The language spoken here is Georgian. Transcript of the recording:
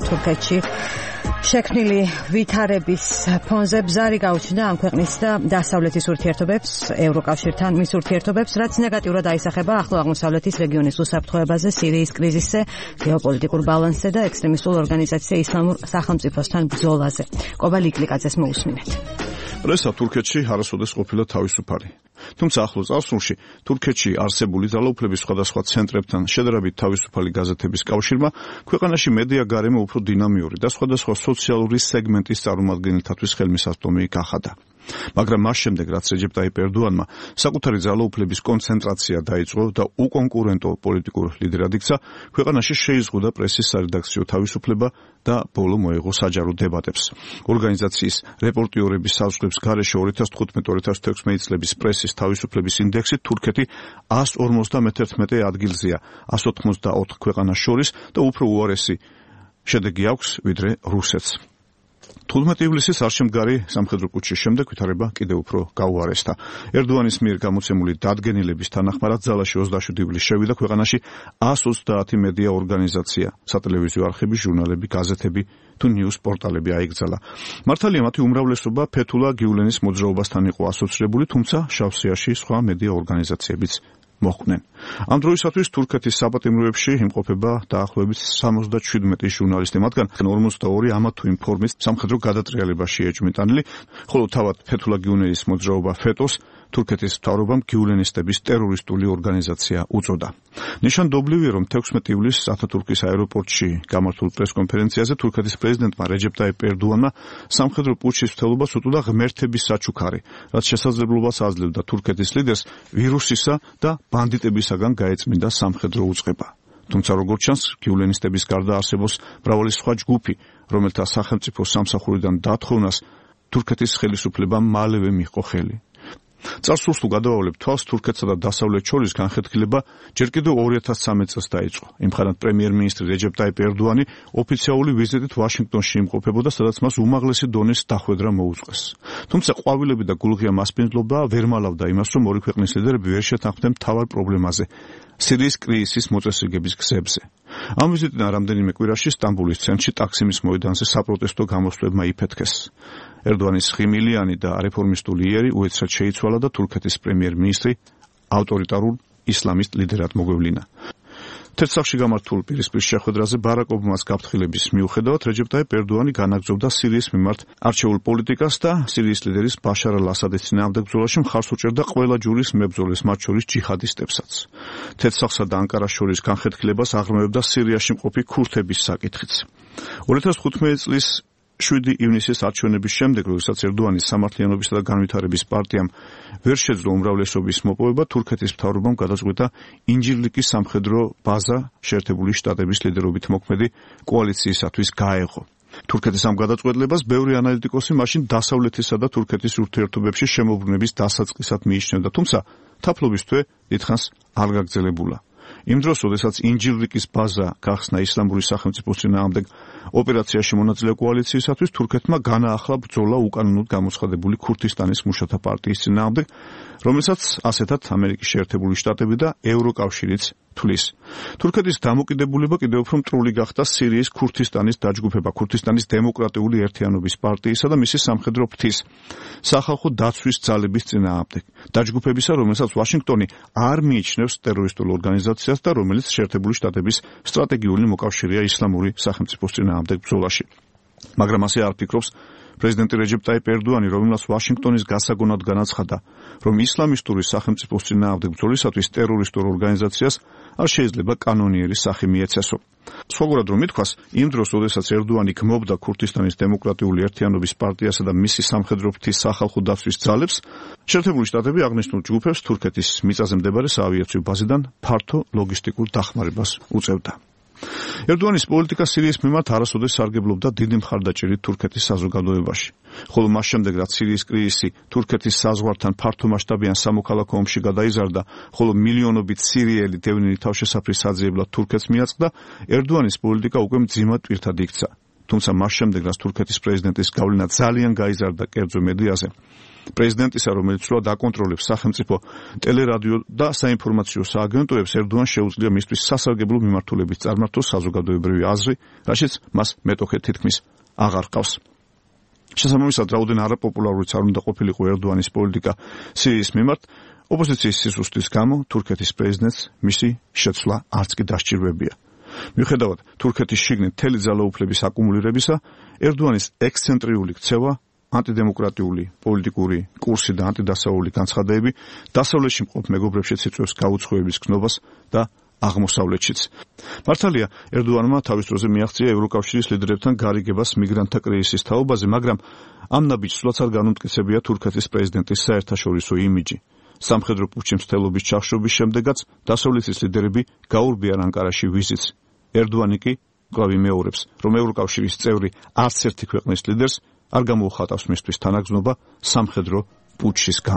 თურქეთში შექმნილი ვითარების ფონზე ბზარი გაუჩნდა ამ ქვეყნის და დასავლეთის ურთიერთობებს, ევროკავშირთან მის ურთიერთობებს, რაც ნეგატიურად აისახება ახლო აღმოსავლეთის რეგიონის უსაფრთხოებაზე, სირიის კრიზისზე, გეოპოლიტიკურ ბალანსზე და ექსტრემისტულ ორგანიზაციაზე ისლამურ სახელმწიფოსთან ბრძოლაზე. კობა ლიკლიკაძეს მოусმინეთ. პრესა თურქეთში არასოდეს ყოფილა თავისუფალი. თუმცა ახლო წარსულში თურქეთში არსებული ძალაუფლების სხვადასხვა ცენტრებთან შედარებით თავისუფალი გაზეთების კავშირმა ქვეყანაში მედია გარემო უფრო დინამიური და სხვადასხვა სოციალური სეგმენტის წარმომადგენელთათვის ხელმისაწვდომი გახადა. მაგრამ მას შემდეგ, რაც რეჯეპ ტაიპ ერდოანმა საკუთარი ძალაუფლების კონცენტრაცია დაიწყო და უკონკურენტო პოლიტიკურ ლიდერად იქცა, ქვეყანაში შეიზღუდა პრესის სარედაქციო თავისუფლება და ბოლო მოეღო საჯარო დებატებს. ორგანიზაციის რეპორტიორების საზღვრების გარეშე 2015-2016 წლების პრესის თავისუფლების ინდექსით თურქეთი 151 ადგილზეა 184 ქვეყანას შორის და უფრო უარესი შედეგი აქვს ვიდრე რუსეთს. 15 ივლისის არშემდგარი სამხედრო კუჩის შემდეგ ვითარება კიდევ უფრო გაუარესდა. ერდოანის მიერ გამოცემული დადგენილების თანახმად ძალაში 27 ივლისს შევიდა ქვეყანაში 130 მედია ორგანიზაცია, სატელევიზიო არხები, ჟურნალები, გაზეთები თუ ნიუს პორტალები აიკრძალა. მართალია მათი უმრავლესობა ფეთულა გიულენის მოძრაობასთან იყო ასოცირებული, თუმცა შავსიაში სხვა მედია ორგანიზაციებიც მოხვდნენ. ამ დროისათვის თურქეთის საპატიმროებში იმყოფება დაახლოებით 77 ჟურნალისტი, მათგან 42 ამა თუ იმ ფორმის სამხედრო გადატრიალებაში ეჭვმიტანილი, ხოლო თავად ფეთულა გიულენის მოძრაობა ფეტოს თურქეთის მთავრობამ გიულენისტების ტერორისტული ორგანიზაცია უწოდა. ნიშანდობლივია, რომ 16 ივლისს ათათურქის აეროპორტში გამართულ პრესკონფერენციაზე თურქეთის პრეზიდენტმა რეჯეპ ტაიპ ერდოანმა სამხედრო პუტჩის მცდელობას უწოდა ღმერთების საჩუქარი, რაც შესაძლებლობას აძლევდა თურქეთის ლიდერს ვირუსისა და ბანდიტებისაგან გაეწმინდა სამხედრო უწყება. თუმცა როგორც ჩანს, გიულენისტების გარდა არსებობს მრავალი სხვა ჯგუფი, რომელთა სახელმწიფო სამსახურიდან დათხოვნას თურქეთის ხელისუფლებამ მალევე მიჰყო ხელი. წარსულს თუ გადავავლებთ თვალს, თურქეთსა და დასავლეთს შორის განხეთქილება ჯერ კიდევ 2013 წელს დაიწყო. იმხანად პრემიერ-მინისტრი რეჯეპ ტაიპ ერდოანი ოფიციალური ვიზიტით ვაშინგტონში იმყოფებოდა, სადაც მას უმაღლესი დონის დახვედრა მოუწყვეს. თუმცა ყვავილები და გულღია მასპინძლობა ვერ მალავდა იმას, რომ ორი ქვეყნის ლიდერები ვერ შეთანხმდნენ მთავარ პრობლემაზე, სირიის კრიზისის მოწესრიგების გზებზე. ამ ვიზიტიდან რამდენიმე კვირაში სტამბოლის ცენტრში ტაქსიმის მოედანზე საპროტესტო გამოსვლებმა იფეთქეს. ერდოანის ხიმილიანი და რეფორმისტული იერი უეცრად შეიცვალა და თურქეთის პრემიერ-მინისტრი ავტორიტარულ ისლამისტ ლიდერად მოგვევლინა. თეთრსახში გამართულ პირისპირ შეხვედრაზე ბარაკ ობამას გაფრთხილების მიუხედავად რეჯეპ ტაიპ ერდოანი განაგრძობდა სირიის მიმართ არჩეულ პოლიტიკას და სირიის ლიდერის ბაშარ ალ-ასადის წინააღმდეგ ბრძოლაში მხარს უჭერდა ყველა ჯურის მებრძოლებს, მათ შორის ჯიჰადისტებსაც. თეთრსახსა და ანკარას შორის განხეთქილებას აღრმევებდა სირიაში მყოფი ქურთების საკითხიც. 2015 წლის 7 ივნისის არჩევნების შემდეგ, როდესაც ერდოანის სამართლიანობისა და განვითარების პარტიამ ვერ შეძლო უმრავლესობის მოპოვება, თურქეთის მთავრობამ გადაწყვიტა ინჯირლიკის სამხედრო ბაზა შეერთებული შტატების ლიდერობით მოქმედი კოალიციისათვის გაეღო. თურქეთის ამ გადაწყვეტილებას ბევრი ანალიტიკოსი მაშინ დასავლეთისა და თურქეთის ურთიერთობებში შემოbrunების დასაწყისად მიიჩნევდა, თუმცა თაფლობის თვე დიდხანს არ გაგრძელებულა. იმ დროს, როდესაც ინჯირლიკის ბაზა გახსნა ისლამური სახელმწიფოს წინააღმდეგ ოპერაციაში მონაწილე კოალიციისათვის, თურქეთმა განაახლა ბრძოლა უკანონოდ გამოცხადებული ქურთისტანის მუშათა პარტიის წინააღმდეგ, რომელსაც ასეთად ამერიკის შეერთებული შტატები და ევროკავშირიც თვლის. თურქეთის დამოკიდებულება კიდევ უფრო მტრული გახდა სირიის ქურთისტანის დაჯგუფება, ქურთისტანის დემოკრატიული ერთიანობის პარტიისა და მისი სამხედრო ფრთის სახალხო დაცვის ძალების წინააღმდეგ. დაჯგუფებისა, რომელსაც ვაშინგტონი არ მიიჩნევს ტერორისტულ ორგანიზაციას და რომელიც შეერთებული შტატების სტრატეგიული მოკავშირეა ისლამური სახელმწიფოს წინააღმდეგ ბრძოლაში. მაგრამ ასე არ ფიქრობს პრეზიდენტი რეჯეპ ტაიპ ერდოანი, რომელსაც ვაშინგტონის გასაგონად განაცხადა, რომ ისლამისტური სახელმწიფოს წინააღმდეგ ბრძოლისათვის ტერორისტულ ორგანიზაციას არ შეიძლება კანონიერი სახე მიეცესო. სხვაგორად რომ ითქვას, იმ დროს, როდესაც ერდოანი გმობდა ქურთისტანის დემოკრატიული ერთიანობის პარტიასა და მისი სამხედრო ფრთის სახალხო დაცვის ძალებს, შეერთებული შტატები აღნიშნულ ჯგუფებს თურქეთის მიწაზე მდებარე საავიაციო ბაზიდან ფართო ლოგისტიკურ დახმარებას უწევდა. ერდოანის პოლიტიკა სირიის მიმართ არასოდეს სარგებლობდა დიდი მხარდაჭერით თურქეთის საზოგადოებაში. ხოლო მას შემდეგ, რაც სირიის კრიზისი თურქეთის საზღვართან ფართომასშტაბიან სამოქალაქო ომში გადაიზარდა, ხოლო მილიონობით სირიელი დევნილი თავშესაფრის საძიებლად თურქეთს მიაწყდა, ერდოანის პოლიტიკა უკვე მძიმად პირთად იქცა. თუმცა მას შემდეგ, რაც თურქეთის პრეზიდენტის გავლენა ძალიან გაიზარდა კერძო მედიაზე, პრეზიდენტისა, რომელიც სრულად აკონტროლებს სახელმწიფო ტელერადიო და საინფორმაციო სააგენტოებს, ერდოანს შეუძლია მისთვის სასარგებლო მიმართულებით წარმართოს საზოგადოებრივი აზრი, რაშიც მას მეტოქე თითქმის აღარ ჰყავს. შესაბამისად, რაოდენ არაპოპულარულიც არ უნდა ყოფილიყო ერდოანის პოლიტიკა სირიის მიმართ, ოპოზიციის სისუსტის გამო თურქეთის პრეზიდენტს მისი შეცვლა არც კი დასჭირვებია. მიუხედავად თურქეთის შიგნით მთელი ძალაუფლების აკუმულირებისა, ერდოანის ექსცენტრიული ქცევა, ანტიდემოკრატიული პოლიტიკური კურსი და ანტიდასავლური განცხადებები დასავლეთში მყოფ მეგობრებშიც იწვევს გაუცხოების გნობას და აღმოსავლეთშიც. მართალია, ერდოანმა თავის დროზე მიაღწია ევროკავშირის ლიდერებთან გარიგებას მიგრანტთა კრიზისის თაობაზე, მაგრამ ამ ნაბიჯს სულაც არ განუმტკიცებია თურქეთის პრეზიდენტის საერთაშორისო იმიჯი. სამხედრო პუტჩის მცდელობის ჩახშობის შემდეგაც დასავლეთის ლიდერები გაურბიან ანკარაში ვიზიტს. ერდოანი კი კვლავ იმეორებს, რომ ევროკავშირის წევრი არც ერთი ქვეყნის ლიდერს არ გამოუხატავს მისთვის თანაგზნობა სამხედრო პუტჩის